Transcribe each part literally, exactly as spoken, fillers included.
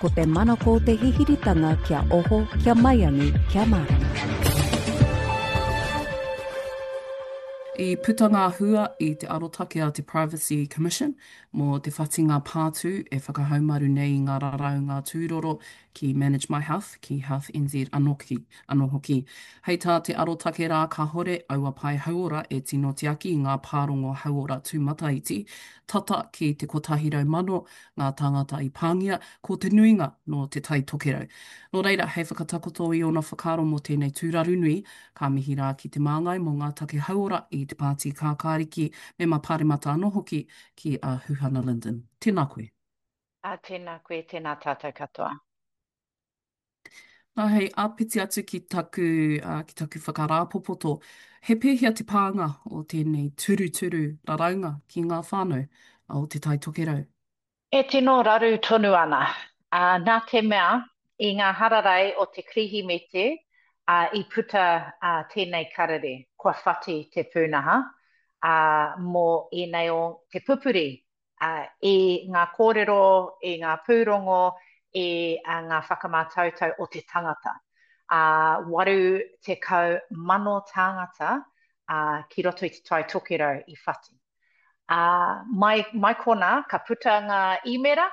Ko te manako o te hihiritanga kia oho, kia maiangi, kia mārama. I puta ngā hua i te arotake a te Privacy Commission mō te whatinga pātū e whakahaumaru nei i ngā raraunga tūroro ki Manage My Health, ki Health N Z anō anō hoki. Hei tā te arotake rā kāhore aua pae hauora e tino tiaki i ngā pārongo hauora tūmataiti, tata ki te kotahi rau mano ngā tāngata i pāngia, ko te nuinga nō Te Tai Tokerau. Nō reira, hei whakatakoto i ōna whakaaro mō tēnei tūraru nui, ka mihi rā ki te māngai mō ngā take hauora i te Pāti Kākāriki, mema Pāremata anō hoki, ki a Huhana Lyndon. Tēnā koe. Ā, tēnā koe, tēnā tātou katoa. Nā, hei āpiti atu ki taku, ki taku whakarāpopoto, he pēhea te pānga o tēnei turuturu raraunga ki ngā whānau o Te Tai Tokerau? E tino raru tonu ana, ā, nā te mea, i ngā hararei o te Kirihimete, ā, i puta, ā, tēnei karere, kua whati te pūnaha, ā, mō ēnei o te pupuri i ngā kōrero, i ngā pūrongo, i ngā whakamātautau o te tangata. Ā, waru tekau mano tāngata ki roto i Te Tai Tokerau i whati. Ā, mai, mai konā, ka puta ngā īmera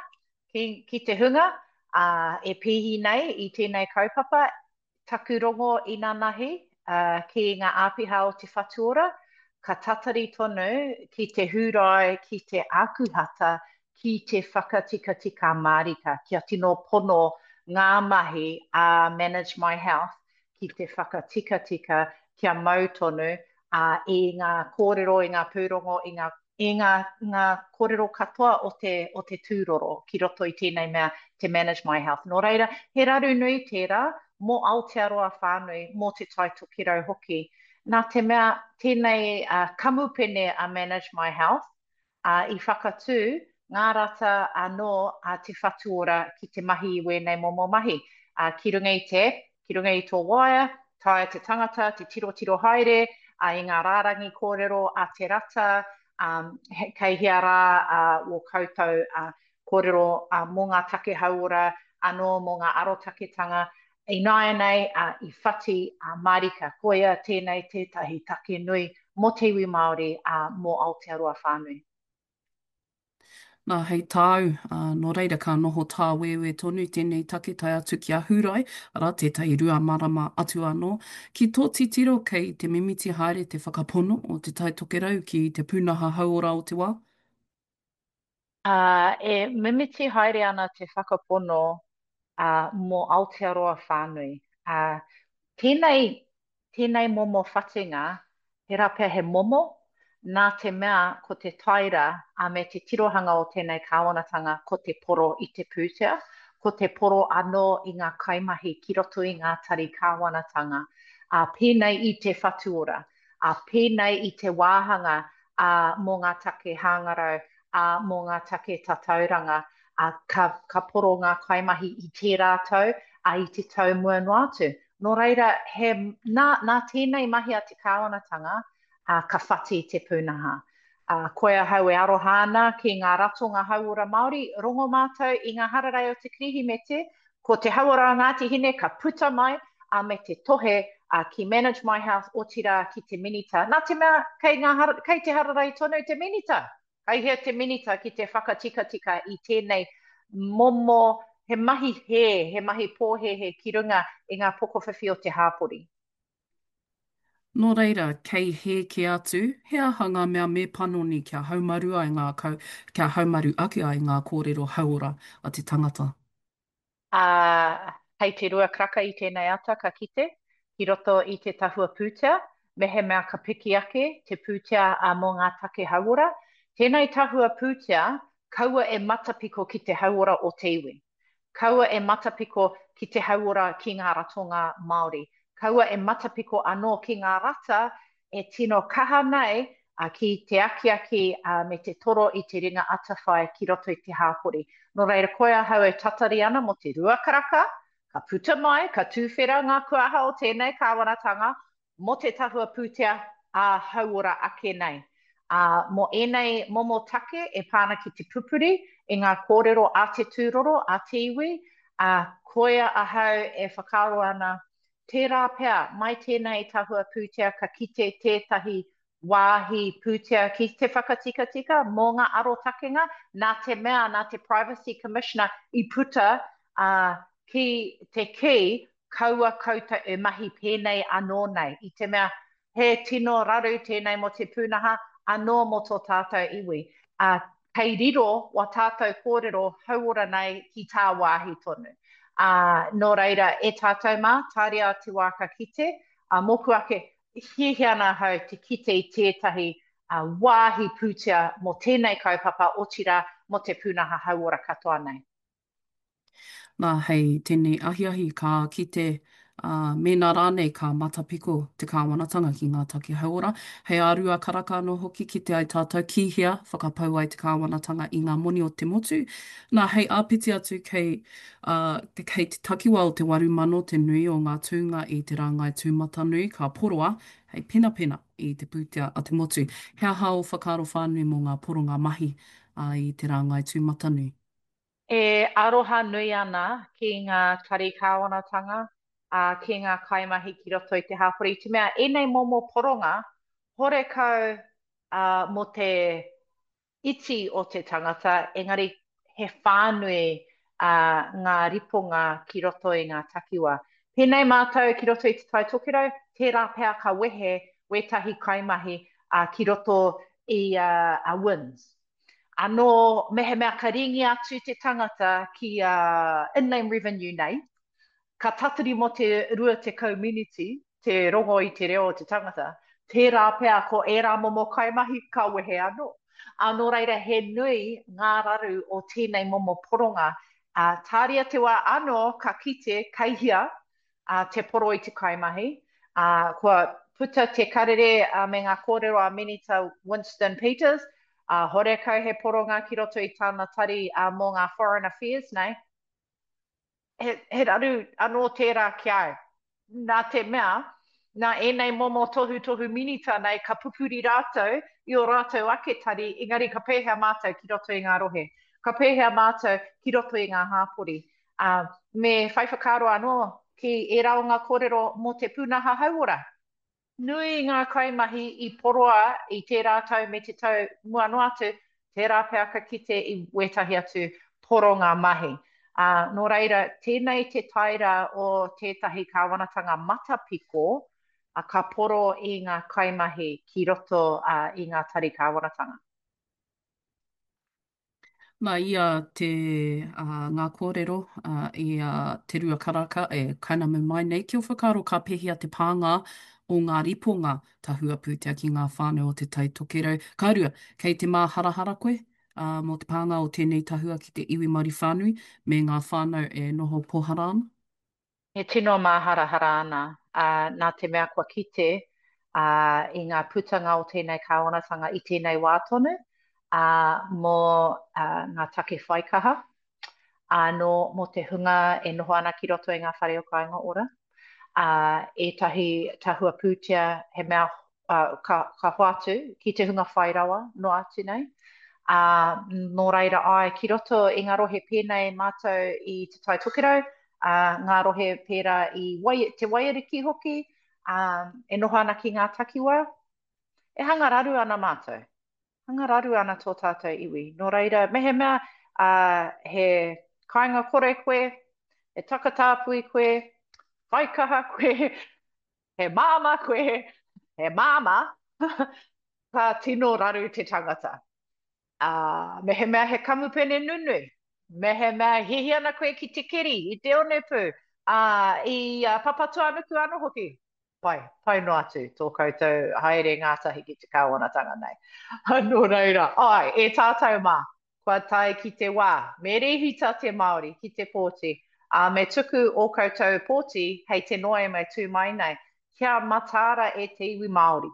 ki, ki te hunga, ā, e pīhi nei i tēnei kaupapa, Taku rongo inanahi ki ngā āpiha o Te Whatu Ora, ka tatari tonu ki te Hūrae, ki te Ākuhata, ki te whakatikatika mārika, kia tino pono ngā mahi a Manage My Health ki te whakatikatika kia mau tonu i ngā kōrero, i ngā pūrongo, i ngā i ngā, ngā kōrero katoa o te, o te tūroro ki roto i tēnei mea te Manage My Health. Nō reira, he raru nui tērā mō Aotearoa whānui, mō Te Tai Tokerau hoki. Nā te mea tēnei uh, kamupene a Manage My Health uh, i whakatū ngā rata anō a Te Whatu Ora ki te mahi i wēnei momo mahi. Uh, ki runga i te app, ki runga i tō waea, taea te tangata te tirotiro haere uh, i ngā rārangi kōrero a te rata, um, he, kei hea rā uh, wō koutou uh, kōrero uh, mō ngā take hauora, anō mō ngā arotaketanga. Ināianei uh, i whati uh, mārika, koia tēnei tētahi take nui mō te iwi Māori, uh, mō Aotearoa whānui. Nā, hei tāu, ā, nō reira ka noho tāwēwē tonu tēnei take tae atu ki a Hūrae, arā, tētahi rua marama atu anō. Ki tō titiro kei te mimiti haere te whakapono o Te Tai Tokerau ki te pūnaha hauora o te wā? Ā, e mimiti haere ana te whakapono, ā, mō Aotearoa whānui. Ā, tēnei Tēnei momo whatinga, tērā pea he momo, nā te mea ko te taira a me te tirohanga o tēnei kāwanatanga ko te poro i te pūtea, ko te poro anō i ngā kaimahi ki roto i ngā tari kāwanatanga, ā, pēnei i Te Whatu Ora, ā, pēnei i te wāhanga ā, mō ngā take hāngarau, ā, mō ngā take tatauranga, ā, ka, ka poro ngā kaimahi i tērā tau, ā, i te tau mua noa atu. Nō reira, he, nā, nā tēnei mahi a te kāwanatanga, ā, ka whati te pūnaha. Ā, koe ahau e aroha ana ki ngā ratonga hauora Māori, rongo mātou i ngā hararei o te Kirihimete, ko te hauora o Ngāti Hine ka puta mai, ā, me te tohe, ā, ki Manage My Health, otirā ki te Minita. Nā te mea, kei ngā, kei te hararei tonu te Minita! Kei hea te Minita ki te whakatikatika i tēnei momo, he mahi hē, he mahi pōhēhē ki runga i ngā pokowhiwhi o te hāpori? Nō reira, kei hē kē atu, he aha ngā mea me panoni kia haumaru ai ngā kau, kia haumaru ake ai ngā kōrero hauora a te tangata? Ā, hei te rua karaka i tēnei ata ka kite, ki roto i te tahua pūtea, mehemea ka piki ake te pūtea mō ngā take hauora, tēnei tahua pūtea kaua e matapiko ki te hauora o te iwi. Kaua e matapiko ki te hauora ki ngā ratonga Māori. Kaua e matapiko anō ki ngā rata e tino kaha nei ki te akiaki me te toro i te ringa atawhai ki roto i te hāpori. Nō reira, koe ahau e tatari ana mō te rua karaka, ka puta mai, ka tūwhera ngā kuaha o tēnei kāwanatanga mō te tahua pūtea ā-hauora ake nei. Ā, mō ēnei momo take e pā ana ki te pupuri i ngā kōrero a te tūroro, a te iwi, Ā, koia ahau e whakaaro ana, tērā pea, mai tēnei tahua pūtea ka kite tētahi wāhi pūtea ki te whakatikatika mō ngā arotakenga, nā te mea nā te Privacy Commissioner i puta ā, ki te kī kaua koutou e mahi pēnei anō nei, i te mea he tino raru tēnei mō te pūnaha, anō mō tō tātou iwi. Ā, kei riro wā tātou kōrero hauora nei ki tāwāhi tonu. Ā, nō reira, e tātou mā, tāria te wā ka kite, ā, mōku ake, hiahia ana ahau te kite i tētahi wāhi pūtea mō tēnei kaupapa, otirā, mō te pūnaha hauora katoa nei. Nā, hei tēnei ahiahi ka kite, ā, mēnā rānei ka matapiko te kāwanatanga ki ngā take hauora. Hei ā rua karaka anō hoki kite ai tātou ki hea whakapau ai te kāwanatanga i ngā moni o te motu. Nā, hei āpiti atu kei, ā, kei te takiwā o te waru mano te nui o ngā tūnga i te rāngai tūmatanui ka poroa hei penapena i te pūtea a te motu. He aha ō whakaaro whānui mō ngā poronga mahi, ā, i te rāngai tūmatanui? E aroha nui ana ki ngā tari kāwanatanga, ā, ki ngā kaimahi ki roto i te hapori, i te mea ēnei momo poronga, horekau, ā, mō te iti o te tangata, engari he whānui, ā, ngā riponga ki roto i ngā takiwā. Pēnei mātou ki roto i Te Tai Tokerau, tērā pea ka wehe wētahi kaimahi, ā, ki roto i a WINZ. Anō, mehemea ka ringi atu te tangata ki a Inland Revenue nei, ka tatari mō te rua tekau miniti te rongo i te reo o te tangata, tērā pea ko ērā momo kaimahi ka wehe anō. Ā, nō reira he nui ngā raru o tēnei momo poronga, ā, tāria te wā anō ka kite kei hea ā, te poro i te kaimahi, ā, kua puta te karere me ngā kōrero a Minita Winston Peters, ā, horekau he poronga ki roto i tāna tari ā, mō ngā Foreign Affairs nei. He, he raru anō tērā ki a au. Nā te mea, nā ēnei momo tohutohu minita nei ka pupuri rātou i ō rātou ake tari, engari ka pēhea mātou ki roto i ngā rohe? Ka pēhea mātou ki roto i ngā hāpori? Ā, me whai whakaaro anō ki ērā o ngā kōrero mō te pūnaha hauora. Nui ngā kaimahi i poroa i tērā tau me te tau mua noa atu, tērā pea ka kite i wētahi atu poronga mahi. Ā, nō reira, tēnei te taera o tētahi kāwanatanga matapiko, ā, ka poro i ngā kaimahi ki roto i ngā tari kāwanatanga. Nā ia te, ā, ngā kōrero, ā, i a Te Rua Karaka e kainamu mai nei, ki ō whakaaro ka pēhea te pānga o ngā riponga tahua pūtea ki ngā whānau o Te Tai Tokerau? Ka rua, kei te māharahara koe, ā, mō te pānga o tēnei tahua ki te iwi Māori whānui me ngā whānau e noho pōhara ana? E tino māharahara ana, ā, nā te mea kua kite, ā, i ngā putanga o tēnei kāwanatanga i tēnei wā tonu, ā, mō, ā, ngā take whaikaha, ānō mō te hunga e noho ana ki roto i ngā whare o Kāinga Ora, ā, ētahi tahua pūtea he mea ka, ka hoatu ki te hunga whai rawa noa atu nei. Ā, nō reira āe, ki roto i ngā rohe pēnei mātou i Te Tai Tokerau, ā, ngā rohe pērā i Wai, Te Waiariki hoki, ā, e noho ana ki ngā takiwā, e hanga raru ana mātou. Hanga raru ana tō tātou iwi. Nō reira, mehemea, ā, he kāinga kore koe, he takatāpui koe, whaikaha koe, he māmā koe, he māmā, ka tino raru te tangata. Ā, mehemea he kamupene nunui, mehemea e hiahia ana koe ki te keri i te onepū, ā, i a Papatūānuku anō hoki, pai, pai noa atu tō koutou haere ngātahi ki te kāwanatanga nei. Nō reira, āe, e tātou mā, Kua tae ki te wā, me rēhita te Māori ki te pōti, ā, me tuku ō koutou pōti hei te Noema e tū mai nei, kia mataara e te iwi Māori.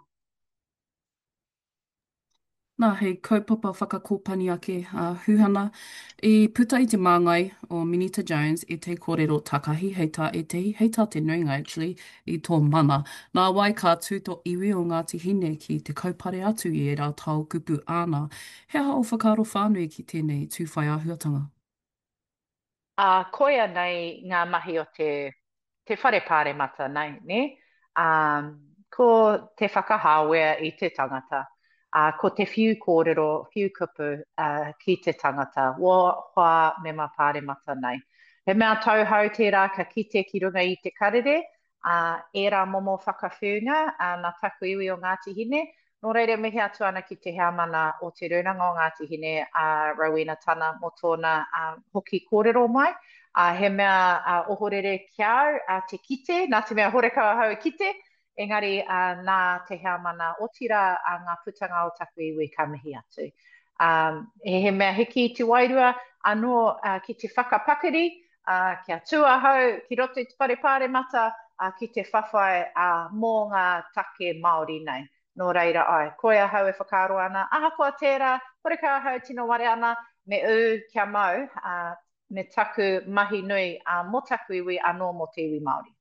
Nā, hei kaupapa whakakōpani ake a Huhana, i puta i te māngai o Minita Jones ētahi kōrero takahi hei tā ētahi, hei tā te nuinga actually, i tō mana. Nā wai ka tū tō iwi o Ngāti Hine ki te kaupare atu i ērā tao kupu āna. He aha ō whakaaro whānui ki tēnei tū whai āhuatanga? Ā, koia nei ngā mahi o te, te whare pāremata nei, nē? Ā, ko te whakahāwea i te tangata, ā, ko te whiu kōrero, whiu kupu, ā, ki te tangata, wā, hoa mema pāremata nei. He mea tauhou tērā ka kite ki runga i te karere, ā, ērā momo whakawhiunga, ā, nā taku iwi o Ngāti Hine. Nō reira, mihi atu ana ki te heamana o Te Rūnanga o Ngāti Hine, a Rowena Tana, mō tōna hoki kōrero mai. Ā, he mea ohorere ki a au, ā, te kite, nā te mea horekau ahau e kite, engari, ā, nā te heamana, otirā, ā, ngā putanga o taku iwi ka mihi atu. Ā, he mea hiki i te wairua anō, ā, ki te whakapakari, ā, kia tū ahau ki roto i te whare pāremata, ā, ki te whawhai, ā, mō ngā take Māori nei. Nō reira, āe, koe ahau e whakaaro ana, ahakoa tērā, horekau ahau tino ware ana, me ū kia mau, ā, me taku mahi nui, ā, mō taku iwi anō mō te iwi Māori.